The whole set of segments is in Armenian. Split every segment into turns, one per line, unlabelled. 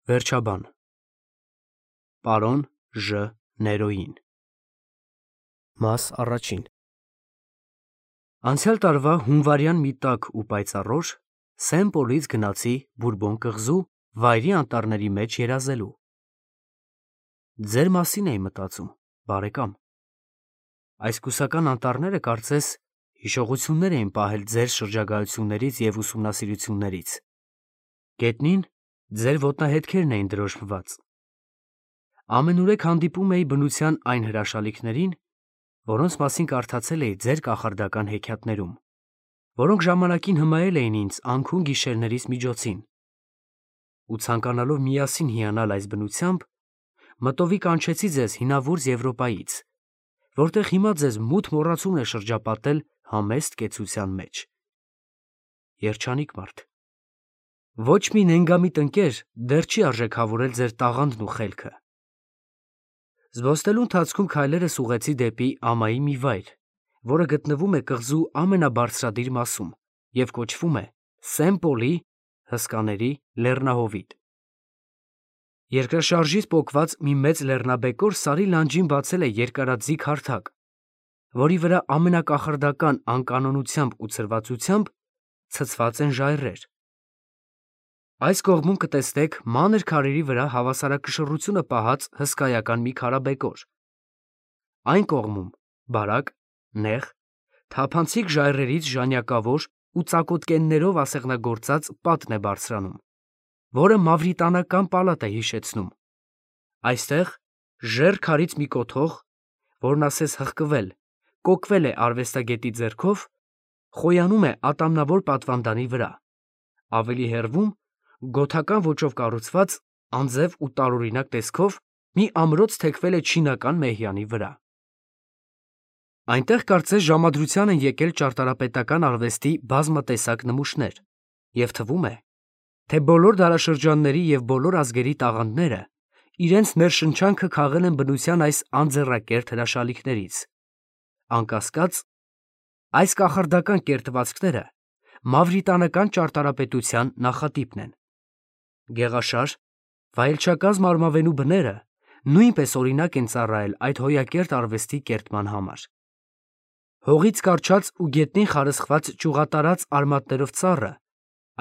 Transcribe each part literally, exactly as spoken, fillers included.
Վերջաբան Պարոն Ժ. Ներոյին Մաս առաջին Անցյալ տարվա հունվարյան մի տաք ու պայծառ օր Սեն Պոլից գնացի Բուրբոն կղզու վայրի անտառների մեջ երազելու։ Ձեր մասին էի մտածում, բարեկամ։ Այս կուսական անտառները կարծես հիշողություններ էին պահել ձեր շրջագայություններից և ուսումնասիրություններից։ Գետնին ձեր ոտնահետքերն էին դրոշմված։ Ամենուրեք հանդիպում էի բնության այն հրաշալիքներին, որոնց մասին կարդացել էի ձեր կախարդական հեքիաթներում, որոնք ժամանակին հմայել էին ինձ անքուն գիշերներիս միջոցին։ Ու ցանկանալով միասին հիանալ այս բնությամբ, մտովի կանչեցի ձեզ հինավուրց Եվրոպայից, որտեղ հիմա ձեզ մութ մոռացումն է շրջապատել համեստ կեցության մեջ։ Երջանիկ մարդ։ Ոչ մի նենգամիտ ընկեր դեռ չի արժեքավորել ձեր տաղանդն ու խելքը։ Զբոսնելու ընթացքում քայլերս ուղղեցի դեպի ամայի մի վայր, որը գտնվում է կղզու ամենաբարձրադիր մասում և կոչվում է Սեն Պոլի հսկաների լեռնահովիտ։ Երկրաշարժից պոկված մի մեծ լեռնաբեկոր Սարի լանջին բացել է երկարաձիգ հարթակ, որի վրա ամենակախարդական անկանոնությամբ ու ցրվածությամբ ցցված են ժայռեր։ Այս կողմում կտեսնեք մանր քարերի վրա հավասարակշռությունը պահած հսկայական մի քարաբեկոր։ Այն կողմում բարակ, նեղ, թափանցիկ ժայռերից ժանյակավոր ու ծակոտկեններով ասեղնագործած պատն է բարձրանում, որը մավրիտանական պալատ է հիշեցնում։ Այստեղ ժեռ քարից մի կոթող, որն ասես հղկվել, կոկվել է արվեստագետի ձեռքով, խոյանում է ատամնավոր պատվանդանի վրա, ավելի հեռվում գոթական ոճով կառուցված, անձև ու տարօրինակ տեսքով մի ամրոց թեքվել է չինական մեհյանի վրա։ Այնտեղ կարծես ժամադրության են եկել ճարտարապետական արվեստի բազմատեսակ նմուշներ, և թվում է, թե բոլոր դարաշրջանների և բոլոր ազգերի տաղանդները իրենց ներշնչանքը քաղել են բնության այս անձեռակերտ հրաշալիքներից։ Անկասկած, այս կախարդական կերտվածքները մավրիտանական ճարտարապետության նախատիպն են։ Գեղաշար, վայելչակազմ արմավենու բները նույնպես օրինակ են ծառայել այդ հոյակերտ արվեստի կերտման համար։ Հողից կառչած ու գետնին խարսխված ճյուղատարած արմատներով ծառը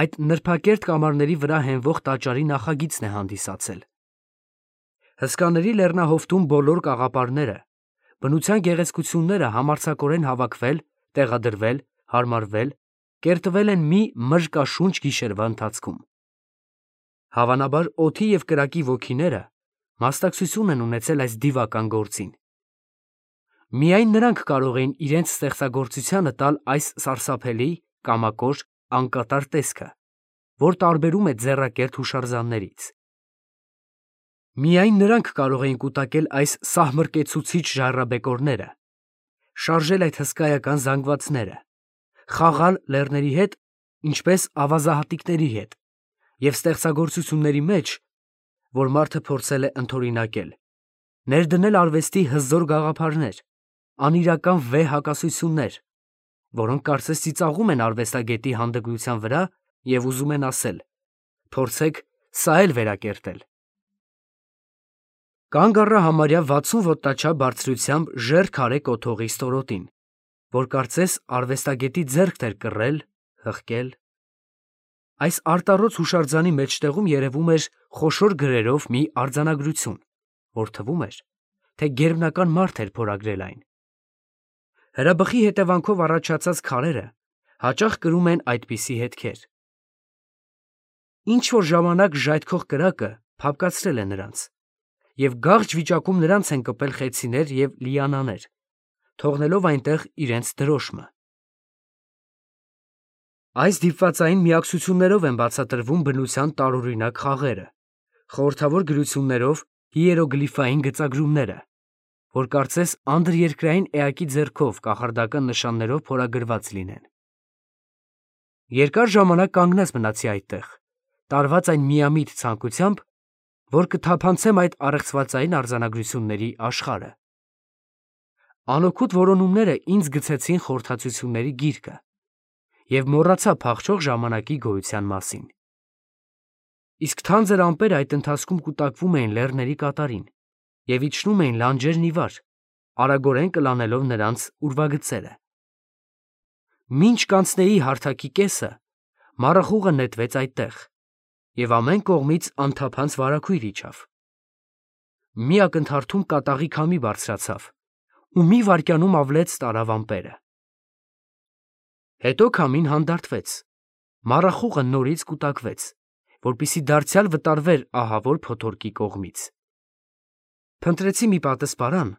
այդ նրբակերտ կամարների վրա հենվող տաճարի նախագիծն է հանդիսացել։ Հսկաների լեռնահովտում բոլոր կաղապարները, բնության գեղեցկությունները համարձակորեն հավաքվել, տեղադրվել, հարմարվել, կերտվել են մի մրրկաշունչ գիշերվա ընթացքում։ Հավանաբար օդի և կրակի ոգիները մասնակցություն են ունեցել այս դիվական գործին։ Միայն նրանք կարող էին իրենց ստեղծագործությանը տալ այս սարսափելի, կամակոր, անկատար տեսքը, որ տարբերում է ձեռակերտ հուշարձաններից։ Միայն նրանք կարող էին կուտակել այս սահմռկեցուցիչ ժայռաբեկորները, շարժել այդ հսկայական զանգվածները, խաղալ լեռների հետ, ինչպես ավազահատիկների հետ, և ստեղծագործությունների մեջ, որ մարդը փորձել է ընդօրինակել, ներդնել արվեստի հզոր գաղափարներ, անիրական վեհ հակասություններ, որոնք կարծես ծիծաղում են արվեստագետի հանդգնության վրա և ուզում են ասել. «Փորձեք սա էլ վերակերտել»։ Կանգ առա համարյա վաթսուն ոտնաչափ բարձրությամբ ժեռ քարե կոթողի ստորոտին, որ կարծես արվեստագետի ձեռքն էր կռել, հղկել։ Այս արտառոց հուշարձանի մեջտեղում երևում էր խոշոր գրերով մի արձանագրություն, որ թվում էր, թե գերբնական մարդ էր փորագրել այն։ Հրաբխի հետևանքով առաջացած քարերը հաճախ կրում են այդպիսի հետքեր։ Ինչ֊որ ժամանակ ժայթքող կրակը փափկացրել է նրանց, և գաղջ վիճակում նրանց են կպել խեցիներ և լիանաներ, թողնելով այնտեղ իրենց դրոշմը։ Այս դիպվածային միակցություններով են բացատրվում բնության տարօրինակ խաղերը, խորհրդավոր գրություններով հիերոգլիֆային գծագրումները, որ կարծես անդրերկրային էակի ձեռքով կախարդական նշաններով փորագրված լինեն։ Երկար ժամանակ կանգնած մնացի այդտեղ, տարված այն միամիտ ցանկությամբ, որ կթափանցեմ այդ առեղծվածային արձանագրությունների աշխարհը։ Անօգուտ որոնումները ինձ գցեցին խորհրդածությունների գիրկը և մոռացա փախչող ժամանակի գոյության մասին։ իսկ թանձր ամպեր այդ ընթացքում կուտակվում էին լեռների կատարին և իջնում էին լանջերն ի վար, արագորեն կլանելով նրանց ուրվագծերը։ Մինչ կանցնեի հարթակի կեսը, մառախուղը նետվեց այդտեղ, և ամեն կողմից անթափանց վարագույր իջավ։ Մի ակնթարթում կատաղի քամի բարձրացավ ու մի վայրկյանում ավլեց տարավ ամպերը։ Հետո քամին հանդարտվեց, մառախուղը նորից կուտակվեց, որպեսզի դարձյալ վտարվեր ահավոր փոթորկի կողմից։ Փնտրեցի մի պատսպարան,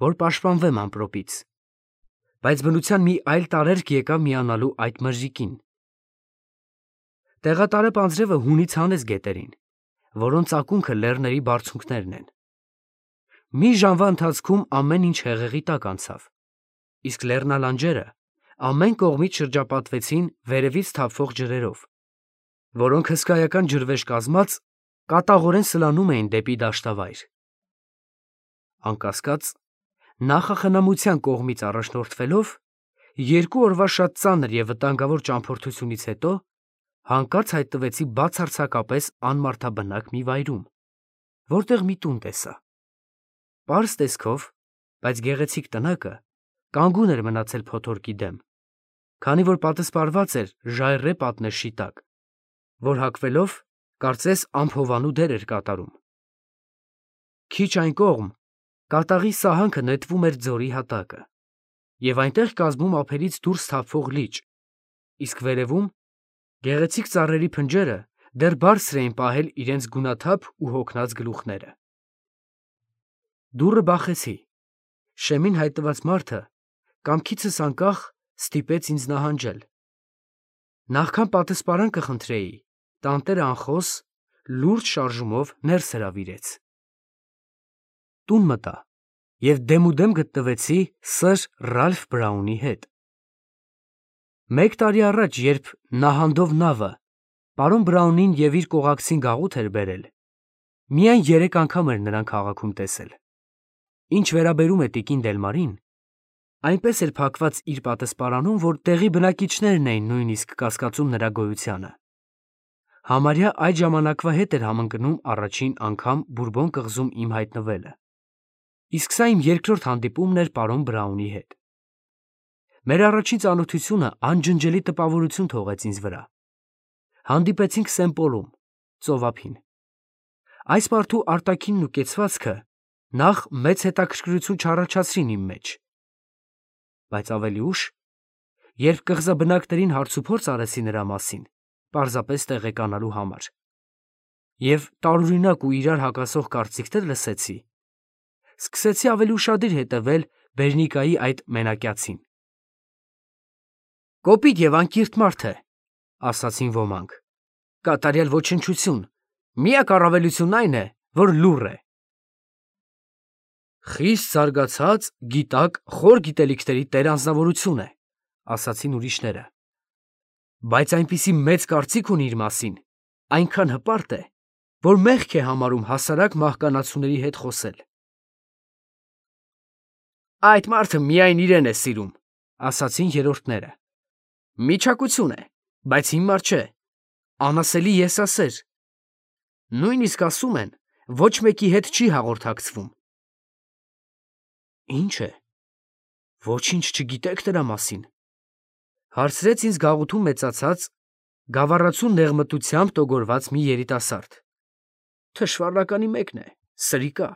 որ պաշտպանվեմ ամպրոպից, բայց բնության մի այլ տարերկ եկավ միանալու այդ մրրիկին։ Տեղատարապ անձրևը հունից հանեց գետերին, որոնց ակունքը լեռների բարձունքներն են։ Մի ժամվա ընթացքում ամեն ինչ հեղեղի տակ անցավ, իսկ լեռնալանջերը ամեն կողմից շրջապատվեցին վերևից թափվող ջրերով, որոնք հսկայական ջրվեժ կազմած կատաղորեն սլանում էին դեպի դաշտավայր։ Անկասկած, նախախնամության կողմից առաջնորդվելով, երկու օրվա շատ ծանր և վտանգավոր ճամփորդությունից հետո հանկարծ հայտնվեցի բացարձակապես անմարդաբնակ մի վայրում, որտեղ մի տուն տեսա։ Պարզ տեսքով, բայց գեղեցիկ տնակը կանգուն էր մնացել փոթորկի դեմ, քանի որ պատսպարված էր ժայռե պատնեշի տակ, որ հագվելով կարծես ամփովանու դեր էր կատարում։ Քիչ այն կողմ կատաղի սահանքը նետվում էր ձորի հատակը, և այնտեղ կազմում ափերից դուրս թափվող լիճ, իսկ վերևում գեղեցիկ ծառերի փնջերը դեռ բարձր էին պահել իրենց գունաթափ ու հոգնած գլուխները։ Դուռը բախեցի, շեմին հայտնված մարդը կամքիցս անկախ ստիպեց ինձ նահանջել։ Նախքան պատսպարան կխնդրեի, տանտերը անխոս, լուրջ շարժումով ներս հրավիրեց։ Տուն մտա և դեմուդեմ գտնվեցի սըր Ռալֆ Բրաունի հետ։ Մեկ տարի առաջ, երբ նահանդով նավը պարոն Բրաունին և իր կողակցին գաղութ էր բերել, միայն երեք անգամ էր նրան քաղաքում տեսել։ Ինչ վերաբերում է տիկին Դելմարին, այնպես էր փակված իր պատսպարանում, որ տեղի բնակիչներն էին նույնիսկ կասկածում նրա գոյությանը։ Համարյա այդ ժամանակվա հետ էր համընկնում առաջին անգամ Բուրբոն կղզում իմ հայտնվելը, իսկ սա իմ երկրորդ հանդիպումն էր պարոն Բրաունի հետ։ Մեր առաջին ծանոթությունը անջնջելի տպավորություն թողեց ինձ վրա։ Հանդիպեցինք Սենպոլում, ծովափին։ Այս մարդու արտաքինն ու կեցվածքը նախ մեծ հետաքրքրություն չառաջացրին իմ մեջ, բայց ավելի ուշ, երբ կղզաբնակներին հարցուփորձ արեցի նրա մասին, պարզապես տեղեկանալու համար, և տարօրինակ ու իրար հակասող կարծիքներ լսեցի, սկսեցի ավելի ուշադիր հետևել Բերնիկայի այդ մենակյացին։ «Կոպիտ և անկիրթ մարդ է», ասացին ոմանք, «կատարյալ ոչնչություն, միակ առավելությունն այն է, որ լուռ է»։ «Խիստ զարգացած, գիտակ, խոր գիտելիքների տեր անձնավորություն է», ասացին ուրիշները, «բայց այնպիսի մեծ կարծիք ունի իր մասին, այնքան հպարտ է, որ մեղք է համարում հասարակ մահկանացուների հետ խոսել»։ «Այդ մարդը միայն իրեն է սիրում», ասացին երրորդները, «միչակություն է, բայց հիմար չէ, անասելի եսասեր, նույնիսկ ասում են, ոչ մեկի հետ չի հաղորդակցվում»։ «Ի՞նչ է, ոչինչ չգիտեք նրա մասին», հարցրեց ինձ գաղութում մեծացած, գավառացու նեղմտությամբ տոգորված մի երիտասարդ։ «Թշվառնականի մեկն է, սրիկա,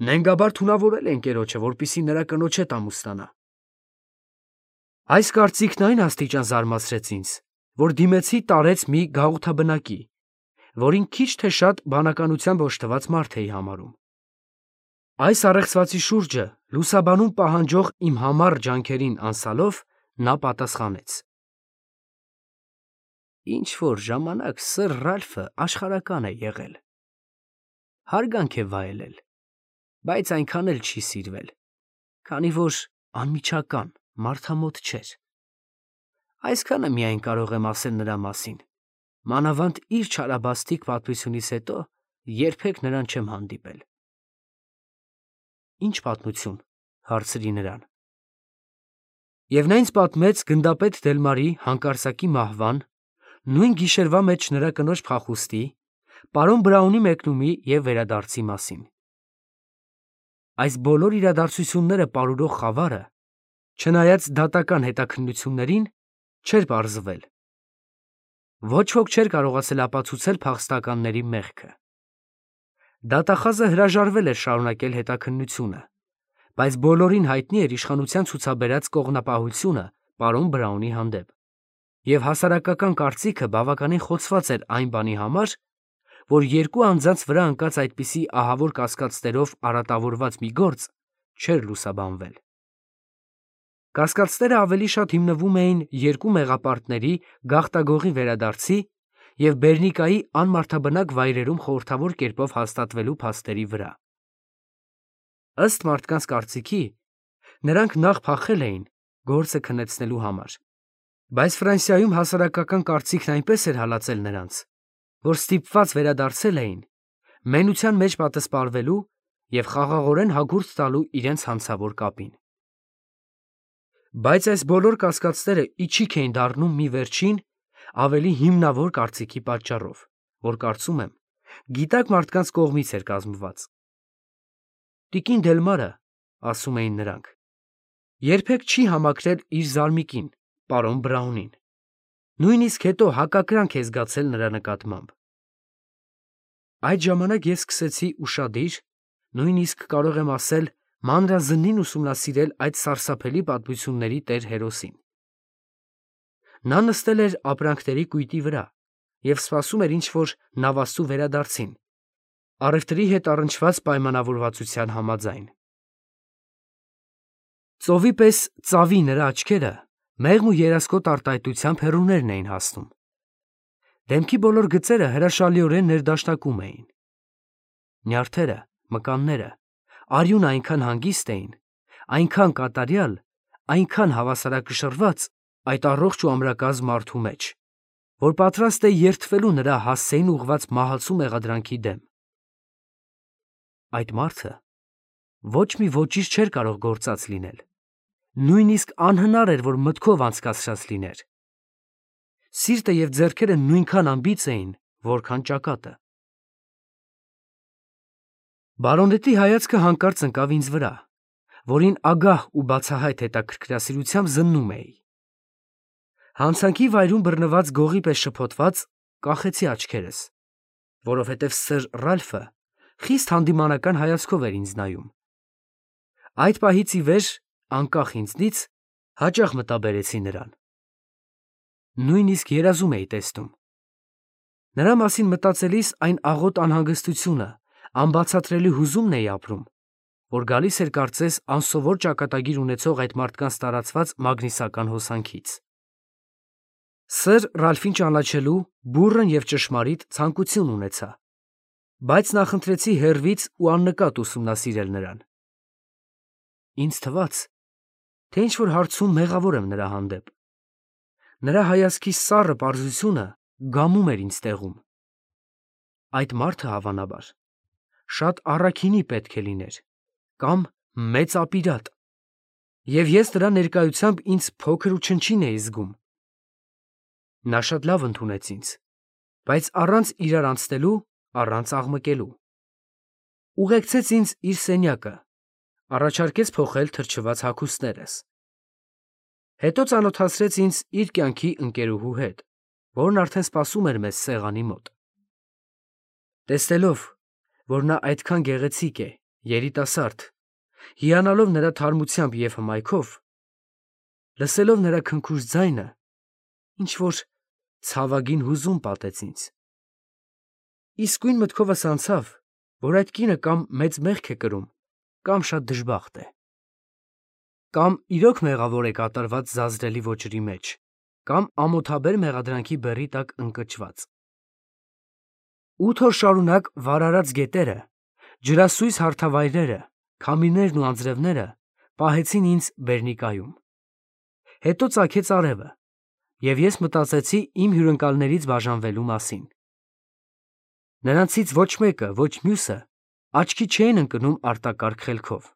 նենգաբար թունավորել է ընկերոջը, որպեսզի նրա կնոջ հետ ամուսնանա»։ Այս կարծիքն այն աստիճան զարմացրեց ինձ, որ դիմեցի տարեց մի գաղութաբնակի, որին քիչ թե շատ բանականությամբ օժտված մարդ էի համարում։ Այս առեղծվածի շուրջը լուսաբանում պահանջող իմ համառ ջանքերին անսալով նա պատասխանեց. «Ինչ-որ ժամանակ սըր Ռալֆը աշխարհական է եղել, հարգանք է վայելել, բայց այնքան էլ չի սիրվել, քանի որ անմիջական, մարդամոտ չէր։ Այսքանը միայն կարող եմ ասել նրա մասին, մանավանդ իր չարաբաստիկ պատմությունից հետո երբեք նրան չեմ հանդիպել»։ «Ի՞նչ պատմություն», հարցրի նրան։ Եվ նա ինձ պատմեց գնդապետ Դելմարի հանկարծակի մահվան, նույն գիշերվա մեջ նրա կնոջ փախուստի, պարոն Բրաունի մեկնումի և վերադարձի մասին։ Այս բոլոր իրադարձությունները պարուրող խավարը, չնայած դատական հետաքննություններին, չէր պարզվել։ Ոչ ոք չէր կարողացել ապացուցել փախստականների մեղքը։ Դատախազը հրաժարվել էր շարունակել հետաքննությունը, բայց բոլորին հայտնի էր իշխանության ցուցաբերած կողմնապահությունը պարոն Բրաունի հանդեպ, և հասարակական կարծիքը բավականին խոցված էր այն բանի համար, որ երկու անձանց վրա ընկած այդպիսի ահավոր կասկածներով արատավորված մի գործ չէր լուսաբանվել։ Կասկածները ավելի շատ հիմնվում էին երկու մեղապարտների գաղտագողի վերադարձի և Բերնիկայի անմարդաբնակ վայրերում խորհրդավոր կերպով հաստատվելու փաստերի վրա։ Ըստ մարդկանց կարծիքի, նրանք նախ փախել էին գործը քննեցնելու համար, բայց Ֆրանսիայում հասարակական կարծիքն այնպես էր հալածել նրանց, որ ստիպված վերադարձել էին մենության մեջ պատսպարվելու և խաղաղորեն հագուրդ տալու իրենց հանցավոր կապին։ Բայց այս բոլոր կասկածները իչիք էին դառնում մի վերջին, ավելի հիմնավոր կարծիքի պատճառով, որ կարծում եմ, գիտակ մարդկանց կողմից էր կազմված։ Տիկին Դելմարը, ասում էին նրանք, երբեք չի համակրել իր զարմիկին, պարոն Բրաունին, նույնիսկ հետո հակակրանք է զգացել նրա նկատմամբ։ Այդ ժամանակ ես սկսեցի ուշադիր, նույնիսկ կարող եմ ասել մանրազնին ուսումնասիրել այդ սարսափելի պատմությունների տեր հերոսին։ Նա նստել էր ապրանքների կույտի վրա և սպասում էր ինչ-որ նավաստու վերադարձին, առևտրի հետ առնչված պայմանավորվածության համաձայն։ Ծովի պես ծավի նրա աչքերը մեղմ ու երասկոտ արտահայտությամբ հեռուներն էին հասնում։ Դեմքի բոլոր գծերը հրաշալիորեն ներդաշնակում էին։ Նյարդերը, մկանները, արյունը այնքան հանգիստ էին, այնքան կատարյալ, այնքան հավասարակշռված այդ առողջ ու ամրակազմ մարդու մեջ, որ պատրաստ է երդվելու նրա հասցեին ուղղված մահացու մեղադրանքի դեմ։ Այդ մարդը ոչ մի ոճիր չէր կարող գործած լինել, նույնիսկ անհնար էր, որ մտքով անցկացրած լիներ։ Սիրտը և ձեռքերը նույնքան անբիծ էին, որքան ճակատը։ Բարոնետի հայացքը հանկարծ ընկավ ինձ վրա, որին ագահ ու բացահայտ հետաքրքրասիրությամբ զննում էի։ Հանցանքի վայրում բռնված գողի պես շփոթված, կախեցի աչքերս, որովհետև սըր Ռալֆը խիստ հանդիմանական հայացքով էր ինձ նայում։ Այդ պահից ի վեր, անկախ ինձնից, հաճախ մտաբերեցի նրան։ Նույնիսկ երազում էի տեսնում։ Նրա մասին մտածելիս այն աղոտ անհանգստությունը, անբացատրելի հուզումն էի ապրում, որ գալիս էր կարծես անսովոր ճակատագիր ունեցող այդ մարդկանց տարածված մագնիսական հոսանքից։ Սըր Ռալֆին ճանաչելու բուռն և ճշմարիտ ցանկություն ունեցա, բայց նախընտրեցի հեռվից ու աննկատ ուսումնասիրել նրան։ Ինձ թվաց, թե ինչ-որ հարցում մեղավոր եմ նրա հանդեպ։ Նրա հայացքի սառը պարզությունը գամում էր ինձ տեղում։ Այդ մարդը, հավանաբար, շատ առաքինի պետք է լիներ, կամ մեծ ապիրատ, և ես նրա ներկայությամբ ինձ փոքր ու չնչին էի զգում։ Նա շատ լավ ընդունեց ինձ, բայց առանց իրար անցնելու, առանց աղմկելու։ Ուղեկցեց ինձ իր սենյակը, առաջարկեց փոխել թրջված հագուստներս։ Հետո ծանոթացրեց ինձ իր կյանքի ընկերուհու հետ, որն արդեն սպասում էր մեզ սեղանի մոտ։ Տեսնելով, որ նա այդքան գեղեցիկ է, երիտասարդ, հիանալով նրա թարմությամբ և հմայքով, լսելով նրա քնքուշ ձայնը, ինչ-որ ցավագին հուզում պատեց ինձ։ Իսկույն մտքովս անցավ, որ այդ կինը կամ մեծ մեղք է կրում, կամ շատ դժբախտ է։ Կամ իրոք մեղավոր է կատարված զազրելի ոճերի մեջ, կամ ամոթաբեր մեղադրանքի բեռի տակ ընկճված։ Ութ օր շարունակ վարարած գետերը, ջրասույզ հարթավայրերը, քամիներն ու անձրևները պահեցին ինձ Բերնիկայում։ Հետո ծագեց արևը, և ես մտածեցի իմ հյուրընկալներից բաժանվելու մասին։ Նրանցից ոչ մեկը, ոչ մյուսը աչքի չէին ընկնում արտակարգ խելքով,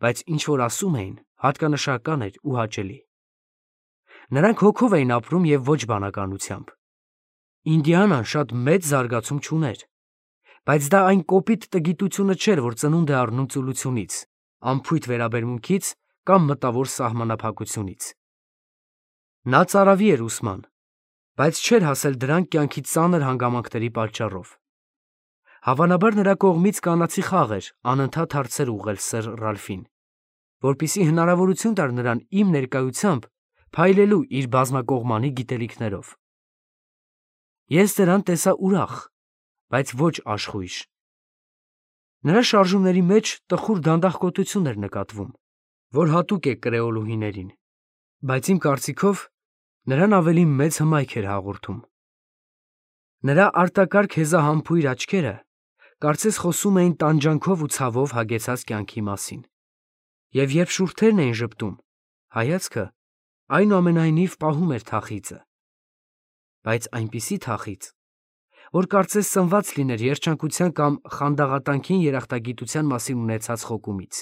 բայց ինչ որ ասում էին, հատկանշական էր ու հաճելի։ Նրանք հոգով էին ապրում և ոչ բանականությամբ։ Ինդիանան շատ մեծ զարգացում չուներ, բայց դա այն կոպիտ տգիտությունը չէր, որ ծնունդ է առնում ծուլությունից, անփույթ վերաբերմունքից կամ մտավոր սահմանափակությունից։ Նա ծարավի էր ուսման, բայց չէր հասել դրան կյանքի ծանր հանգամանքների պատճառով։ Հավանաբար նրա կողմից կանացի խաղ էր անընդհատ հարցեր ուղղել սըր Ռալֆին, որպեսզի հնարավորություն տար նրան իմ ներկայությամբ փայլելու իր բազմակողմանի գիտելիքներով։ Ես դրան տեսա ուրախ, բայց ոչ աշխույժ։ Նրա շարժումների մեջ տխուր դանդաղկոտություն էր նկատվում, որ հատուկ է կրեոլուհիներին, բայց իմ կարծիքով նրան ավելի մեծ հմայք էր հաղորդում։ Նրա արտակարգ հեզահամբույր աչքերը կարծես խոսում էին տանջանքով ու ցավով հագեցած կյանքի մասին, և երբ շուրթերն էին ժպտում, հայացքը այնուամենայնիվ պահում էր թախիծը, բայց այնպիսի թախիծ, որ կարծես սնված լիներ երջանկության կամ խանդաղատանքին երախտագիտության մասին ունեցած խոկումից։